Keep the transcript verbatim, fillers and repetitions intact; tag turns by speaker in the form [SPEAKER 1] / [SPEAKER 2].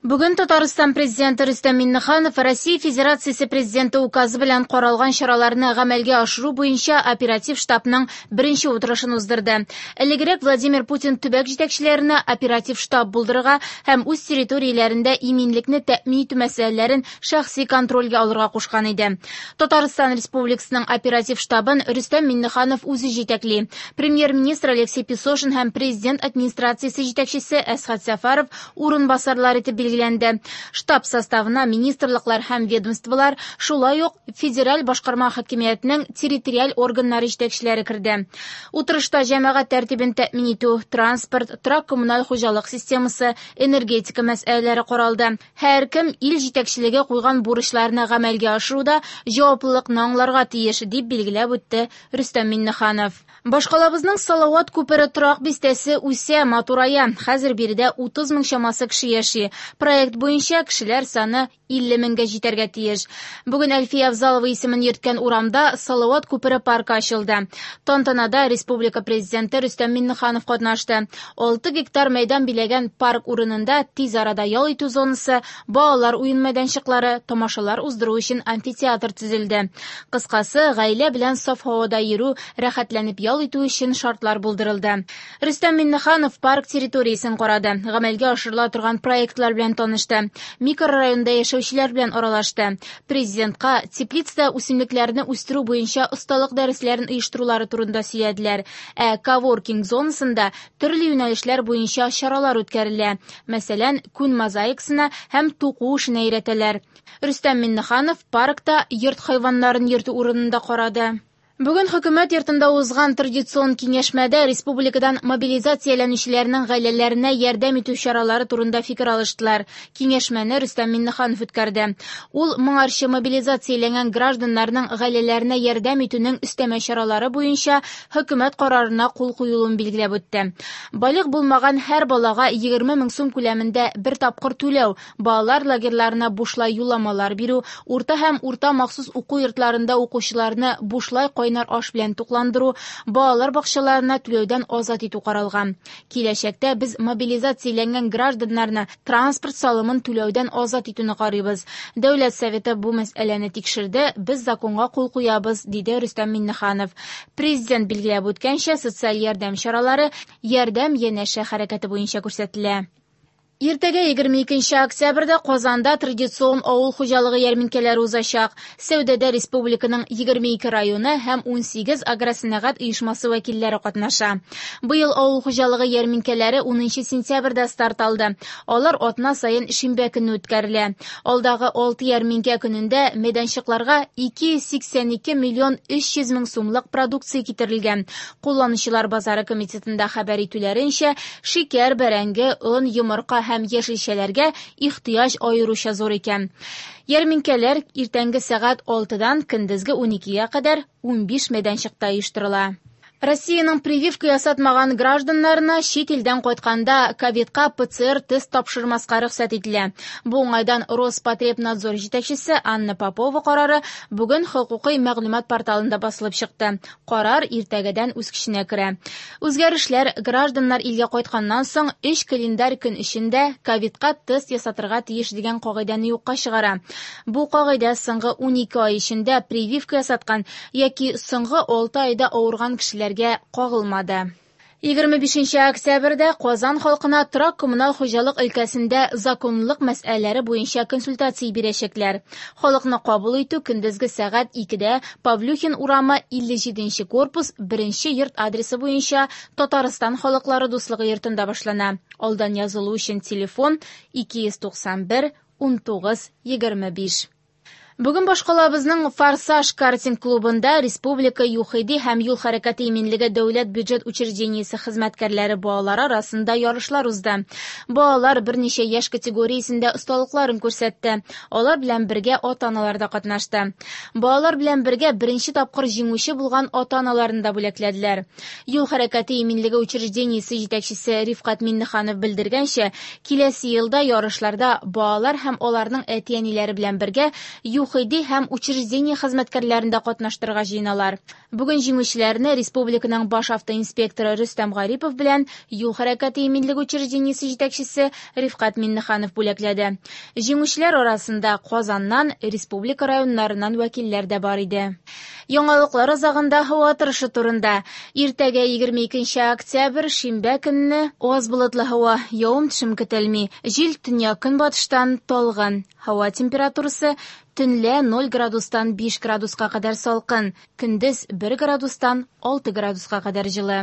[SPEAKER 1] Бүген Татарстан президенты Рөстәм Миңнеханов Россия Федерациясе президенты указы белән каралган чараларны гамәлгә ашыру буенча оператив штабның беренче утырышын уздырды. Элегрәк Владимир Путин төбәк җитәкчеләренә оператив штаб булдырырга һәм үз территорияләрендә иминлекне тәэмин итү мәсьәләләрен шәхси контрольгә алырга кушкан иде. Татарстан Республикасының оператив штабын Рөстәм Миңнеханов үзе җитәкли. Премьер-министр Алексей Песошин һәм президент администрациясе җитәкчесе Әсхәт Сәфәров урынбасарлар итеп билгеләнде. Штаб составына министрлыклар һәм ведомстволар, шулай ук федераль башкарма хакимиятенең территориаль органнары җитәкчеләре керде. Утырышта җәмәгать тәртибен тәэмин итү, транспорт, торак-коммуналь хуҗалык системасы, энергетика мәсьәләләре каралды. Һәркем ил җитәкчелеге куйган бурычларны гамәлгә ашыруда җаваплылыкны аңларга тиеш, дип билгеләп үтте Рөстәм Миңнеханов. Башкалабызның Салават күпере торак бистәсе үсә, матурая. Хәзер биредә утыз мең чамасы кеше яши. Проект буенча кешеләр саны илле меңгә җитәргә тиеш. Бүген Әлфия Авзалова исемен йөрткән урамда Салават күпере паркы ачылды. Тантанада республика президенты Рөстәм Миңнеханов катнашты. Алты гектар мәйдан биләгән парк урынында тиз арада ял итү зонасы, балалар уен мәйданчыклары, тамашалар уздыру өчен амфитеатр төзелде. Кыскасы, гаилә белән саф һавада йөрү, рәхәтләнеп ял итү өчен шартлар булдырылды. Рөстәм Миңнеханов парк территориясен карады, гамәлгә ашырыла торган проектлар белән танышты, микрорайонда яшәүчеләр белән аралашты. Президентка теплицада үсемлекләрне үстерү буенча осталык дәресләрен оештырулары турында сөйләделәр. Ә коворкинг зонасында төрле юнәлешләр буенча чаралар үткәрелә. Мәсәлән, күн мозаикасына һәм туку эшенә өйрәтәләр. Рөстәм Миңнеханов паркта йорт хайваннарын йөртү урынында карады. Бүген хөкүмәт йортында узган традицион киңәшмәдә республикадан мобилизацияләнүчеләрнең гаиләләренә ярдәм итү чаралары турында фикер алыштылар. Киңәшмәне Рөстәм Миңнеханов үткәрде. Ул моңарчы мобилизацияләнгән гражданнарның гаиләләренә ярдәм итүнең өстәмә чаралары буенча хөкүмәт карарына кул куелуын билгеләп үтте. Балигъ булмаган һәр балага егерме мең сум күләмендә бер тапкыр түләү, балалар лагерьларына бушлай юлламалар бирү, урта һәм урта махсус уку йортларында укучыларны бушлай кайнар аш белән тукландыру, балалар бакчаларына түләүдән азат итү каралган. Киләчәктә без мобилизацияләнгән гражданнарны транспорт салымын түләүдән азат итүне карыйбыз. Дәүләт Советы бу мәсьәләне тикшерде, без законга кул куябыз, диде Рөстәм Миңнеханов. Президент билгеләп үткәнчә, социаль ярдәм чаралары ярдәм янәшә хәрәкәте буенча күрсәтелә. Иртәгә егерме икенче октябрьдә Казанда традицион авыл хуҗалыгы ярминкәләре узачак. Сәүдәдә республиканың егерме ике районы һәм унсигез агросәнәгать оешмасы вәкилләре катнаша. Быел авыл хуҗалыгы ярминкәләре унынчы сентябрьдә старт алды. Алар атна саен шимбә көнне үткәрелә. Алдагы алты ярминкә көнендә мәйданчыкларга ике йөз сиксән ике миллион өч йөз мең сумлык продукция китерелгән. Кулланучылар базары комитетында хәбәр итүләренчә, шикәр, бәрәңге, он, йомырка һәм яшелчәләргә ихтыяҗ аеруча зур икән. Ярминкәләр иртәнге сәгать алтыдан көндезге уникегә кадәр унбиш мәйданчыкта оештырыла. Россиянең прививка ясатмаган гражданнарына чит илдән кайтканда ковидка П Ц Р тест тапшырмаска рөхсәт ителә. Бу уңайдан Роспотребнадзор җитәкчесе Анна Попова карары бүген хокукый мәгълүмат порталында басылып чыкты. Карар иртәгәдән үз көченә керә. Үзгәрешләр гражданнар илгә кайтканнан соң өч календарь көн эчендә ковидка тест ясатырга тиеш дигән кагыйдәне юкка чыгара. Бу кагыйдә соңгы унике ай эчендә прививка ясаткан яки соңгы алты айда авырган кешеләргә кагылмады. Егерме бишенче октябрьдә Казан халкына торак-коммуналь хуҗалык өлкәсендә законлылык мәсьәләләре буенча консультация бирәчәкләр. Халыкны кабул итү көндезге сәгать икедә Павлюхин урамы илле җиденче корпус беренче йорт адресы буенча Татарстан халыклары дуслыгы йортында башлана. Алдан язылу өчен телефон ике йөз туксан бер унтугыз егерме биш. Бүген башкалабызның Форсаж картинг клубында Республика ЮХИДИ һәм юл хәрәкәте иминлеге дәүләт бюджет учреждениесе хезмәткәрләре балалары арасында ярышлар узды. Балалар берничә яшь категориясендә осталыкларын күрсәтте. Алар белән бергә ата-аналар да катнашты. Балалар белән бергә беренче тапкыр җиңүче булган ата-аналарны да бүләкләделәр. Юл хәрәкәте иминлеге учреждениесе җитәкчесе Рифкать Миннеханов белдергәнчә, киләсе елда ярышларда балалар һәм аларның әти-әниләре белән бергә ЮХИДИ һәм учреждение хезмәткәрләрен дә катнаштырырга җыеналар. Бүген җиңүчеләрне республиканың баш автоинспекторы Рөстәм Гарипов белән юл хәрәкәте иминлеге учреждениесе җитәкчесе Рифкать Миңнеханов бүләкләде. Җиңүчеләр арасында Казаннан, республика районнарыннан вәкилләр дә бар иде. Яңалыклар азагында һава торышы турында. Иртәгә егерме икенче октябрь, шимбә көнне аз болытлы һава, явым-төшем көтелми. Җил төньяк-көнбатыштан талгын. Һава температурасы төнлә ноль градустан биш градуска кадәр салкын, көндез бер градустан алты градуска кадәр җылы.